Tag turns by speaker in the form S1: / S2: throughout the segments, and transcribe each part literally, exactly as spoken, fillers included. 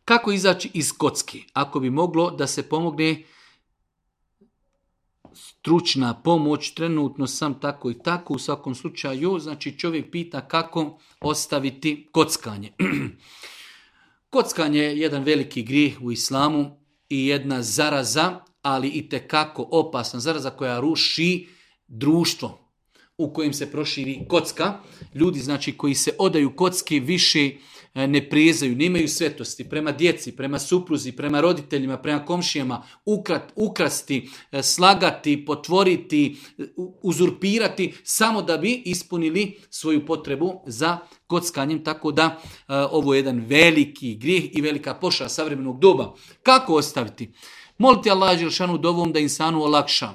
S1: Kako izaći iz kocki? Ako bi moglo da se pomogne stručna pomoć, trenutno sam tako i tako, u svakom slučaju, znači čovjek pita kako ostaviti kockanje. Kockanje je jedan veliki grijeh u islamu i jedna zaraza, ali i tekako opasna zaraza koja ruši društvo u kojem se proširi kocka. Ljudi znači koji se odaju kocki više ne prijezaju, nemaju svetosti prema djeci, prema supruzi, prema roditeljima, prema komšijama, ukrat, ukrasti, slagati, potvoriti, uzurpirati, samo da bi ispunili svoju potrebu za kockanjem. Tako da uh, ovo je jedan veliki grijeh i velika pošast savremenog doba. Kako ostaviti? Molite Allah dželešanu dovom da insanu olakša.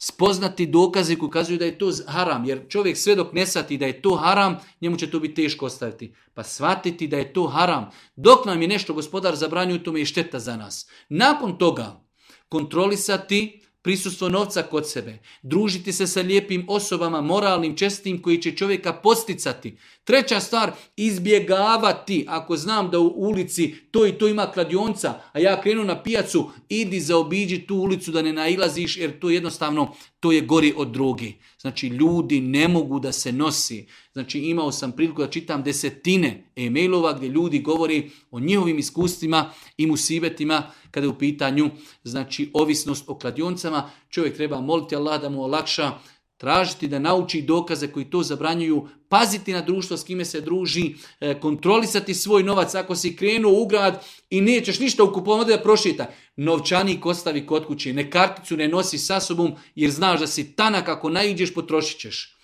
S1: Spoznati dokaze koji ukazuju da je to haram, jer čovjek sve dok ne shvati da je to haram, njemu će to biti teško ostaviti. Pa shvatiti da je to haram. Dok nam je nešto gospodar zabranio, to je šteta za nas. Nakon toga kontrolisati prisustvo novca kod sebe, družiti se sa lijepim osobama, moralnim, čestitim, koji će čovjeka posticati. Treća stvar, izbjegavati. Ako znam da u ulici to i to ima kladionca, a ja krenu na pijacu, idi zaobiđi tu ulicu da ne nailaziš, jer to jednostavno, to je gori od droge. Znači, ljudi ne mogu da se nosi. Znači, imao sam priliku da čitam desetine e-mailova gdje ljudi govori o njihovim iskustvima i musibetima kada je u pitanju, znači, ovisnost o kladioncama. Čovjek treba moliti Allah da mu olakša, tražiti da nauči dokaze koji to zabranjuju, paziti na društvo s kime se druži, kontrolisati svoj novac. Ako si krenuo u grad i nećeš ništa ukupovati da prošeta, novčanik ostavi kod kuće, ne karticu ne nosi sa sobom jer znaš da si tanak, ako naiđeš potrošit ćeš.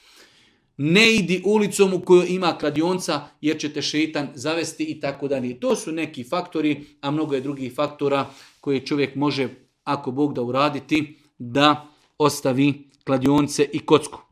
S1: Ne idi ulicom u kojoj ima kladionca jer će te šeitan zavesti i tako dalje. To su neki faktori, a mnogo je drugih faktora koje čovjek može, ako Bog da, uraditi da ostavi kladionce i kocku.